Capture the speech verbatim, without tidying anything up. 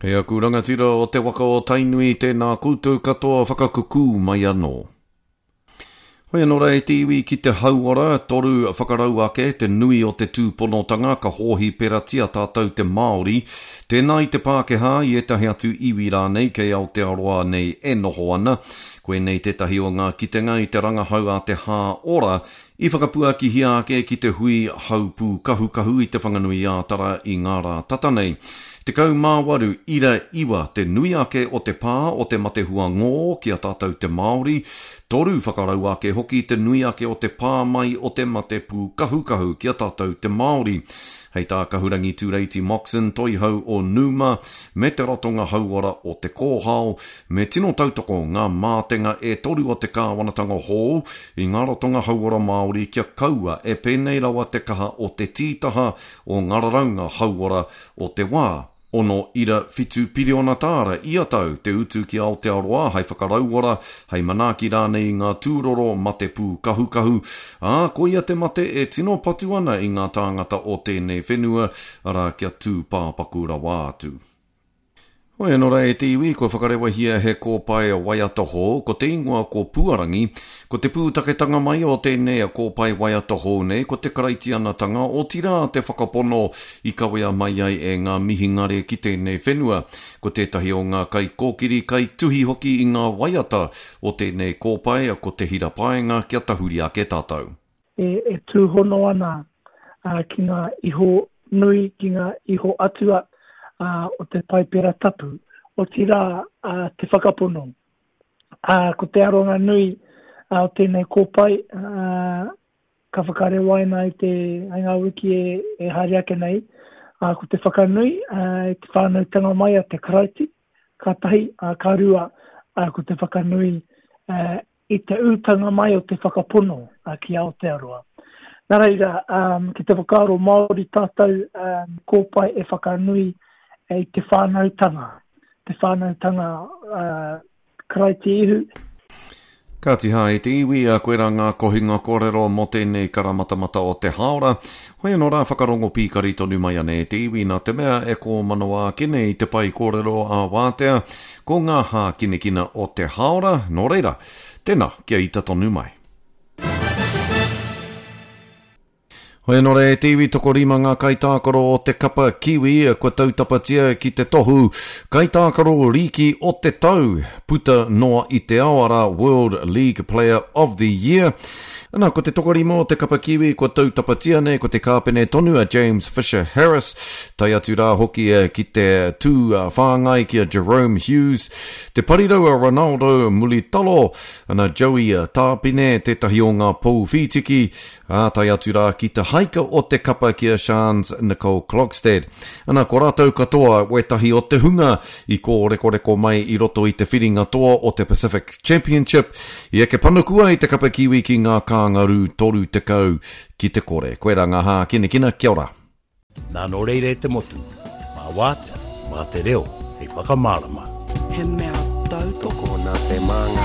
E aku rangatira o te waka o Tainui, tēnā koutou katoa whakakukū mai anō. Hoi anō rā e te iwi ki te hauora, toru whakarau ake te nui o te tūponotanga ka hōhiperatia tātou te Māori, tēnā i te Pākehā i ētahi atu iwi rānei kei Aotearoa nei e noho ana. Koinei tētahi o ngā kitenga i te rangahau a te Hā Ora i whakapuakihia ake ki te hui haupūkahukahu i Te Whanganui-ā-Tara i ngā rā tata nei. Tekau mā waru ira iwa te nui ake o te pā o te mate huangō ki a tātou te Māori, toru whakarau ake hoki te nui ake o te pā mai o te mate pūkahukahu ki a tātou te Māori. Hei tā Kahurangi Tūreiti Moxon, toihau o Numa, me te ratonga hauora o Te Kōhao, me tino tautoko ngā mātenga e toru o te kāwanatanga hou i ngā ratonga hauora Māori kia kaua e pēnei rawa te kaha o te tītaha o ngā raraunga hauora o te wā. Ono ira whitu piriona tāra ia tau te utu ki Aotearoa hei whakarauora, hei manaaki rānei i ngā tūroro mate pūkahukahu, ā, koia te mate e tino patu ana i ngā tāngata o tēnei whenua, arā kia tū pāpaku rawa atu. Hoi anō rā e te iwi, kua whakarewahia he kōpae waiata hou, ko te ingoa ko Puarangi. Ko te pūtaketanga mai o tēnei kōpae waiata hou nei, ko te karaitianatanga, otirā te whakapono i kawea mai ai e ngā mihingare ki tēnei whenua. Ko tētahi o ngā kaikōkiri, kaituhi hoki i ngā waiata o tēnei kōpae, ko Te Hira Paenga, kia tahuri ake tātou. E, e tūhono ana ki ngā iho nui, ki ngā iho atua o te Paipera Tapu, otirā te whakapono. Ko te aronga nui o tēnei kōpae, ka whakarewaina i te i ngā wiki e, e haere ake nei, ko te whakanui i te whānautanga mai a te Karaiti, ka tahi, ka rua, ko te whakanui i te ūtanga mai o te whakapono ki Aotearoa. Nā reira, ki te whakaaro Māori tātou, kōpae e whakanui i te whānautanga, te whānautanga Karaiti Ihu. Kāti hā e te iwi, a koe rā ngā kohinga kōrero mō tēnei karamatamata o te hāora. Hoi anō rā whakarongo pīkari tonu mai ana e te iwi nā te mea e kōmanawa ake nei te pae kōrero ā wātea ko ngā hākinakina o te hāora, nō reira, tēnā, kia ita tonu mai. Hoi anō rā e te iwi, tokorima ngā kaitākaro o te kapa Kiwi kua tautapatia ki te tohu kaitākaro rīki o te tau puta noa i te ao, arā World League Player of the Year. Ana, ko te tokorima o te kapa Kiwi kua tautapatia nei ko te kāpene tonu a James Fisher Harris, tae atu rā hoki ki te tū whāngai ki a Jahrome Hughes, te parirau a Ronaldo Mulitalo, ana Joey Tāpine, tētahi o ngā pou whītiki, ā, tae atu rā ki te haika o te kapa ki a Shans Nicole Klogstad. Ana, ko rātou katoa wētahi o te hunga i kōrekoreko mai i roto i te whiringa toa o te Pacific Championship, i eke panuku ai te kapa Kiwi ki ngā kāngarū toru tekau ki te kore. Koirā ngā hākinakina, kia ora. Nā nō reira e te motu, mā wātea, mā te reo, hei whakamārama. He mea tautoko. Tokona te māngai.